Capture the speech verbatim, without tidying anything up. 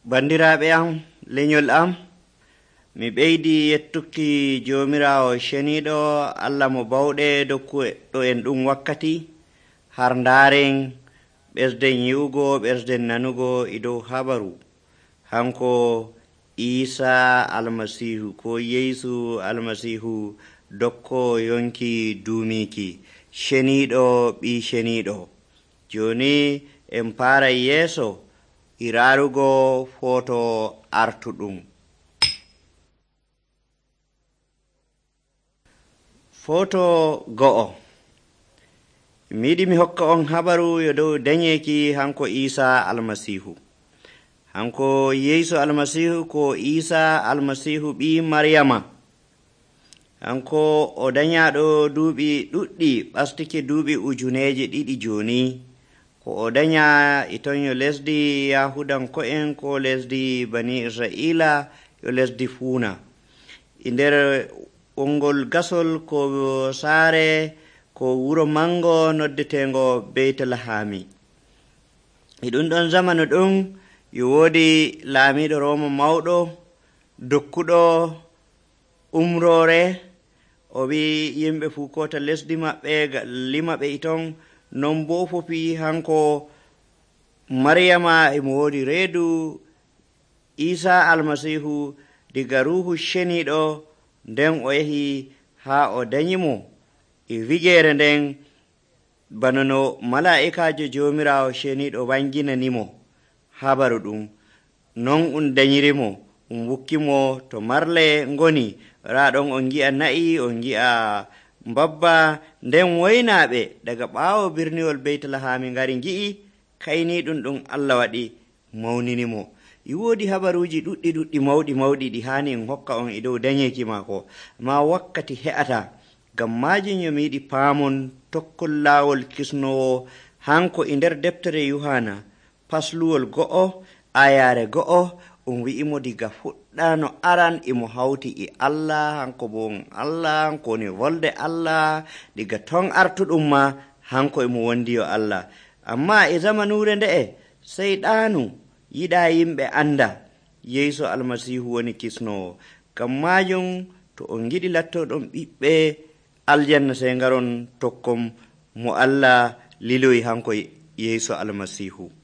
Bandiraɓe am, leñol am, mi ɓeydi yettuki joomiraawo ceniiɗo Allah mo bawɗe dokkuɗo en ɗum wakkati har ndaaren ɓesden yi'ugo ɓesden nanugo e dow habaru hanko Iisaa almasiihu ko Yeesu almasiihu dokko yonki duumiiki ceniiɗo ɓii ceniiɗo. Jooni en paaray yeeso iraarugo foto artuɗum. Foto go'o. Mi yiɗi mi hokka on habaru yo dow dañeeki hanko Iisaa almasiihu. Hanko Yeesu almasiihu ko Iisaa almasiihu ɓii Maryama. Hanko o dañaaɗo duuɓi ɗuɗɗi ɓastike duuɓi ujuneeje ɗiɗi jooni. Ko o daña e ton yo lesdi Yahudanko'en ko lesdi Bani Israila yo lesdi fuuna. E nder wongol gasol ko saare ko wuro mango noddetengo Beytlahami. E ɗum ɗon zamanu ɗum yo woodi laamiiɗo Rooma mawɗo dokkuɗo umroore. O wi yimɓe fuu kota lesdi maɓɓe lima ɓe e ton. Non boo fofi hanko Maryama emo woodi reedu Iisaa almasiihu diga ruuhu ceniiɗo nden o yahi haa o dañimo e wigeere nden bana no malaa'ikaajo joomiraawo ceniiɗo wanginanimo habaru ɗum. Non um dañirimo um wukkimo to marle ngoni. Raa ɗon on ngi'a na'i, on ngi'a mbabba, nden woynaaɓe daga ɓaawo birniwol Beytlahami ngari ngi'i kayniiɗum ɗum Allah waɗi mawninimo. E woodi habaruuji ɗuɗɗi ɗuɗɗi mawɗi mawɗi ɗi haani en hokka on e dow dañeeki maako, ma wakkati he'ata. Ngam maajum yo mi yiɗi paamon tokkol laawol kisnowo hanko e nder deftere Yuhana pasluwol go'o ayaare go'o um wi'imo diga fuɗɗaano aran emo hawti e Allah, hanko bo on Allah, hanko woni wolde Allah, diga ton artuɗum ma hanko emo wondi yo Allah. Amma e zamanuure nde'e seyɗaanu yiɗaa yimɓe anda Yeesu almasiihu woni kisnowo. Ngam maajum to on ngiɗi lattoɗon ɓiɓɓe aljanna sey ngaron tokkon mo Allah liloyi hanko Yeesu almasiihu.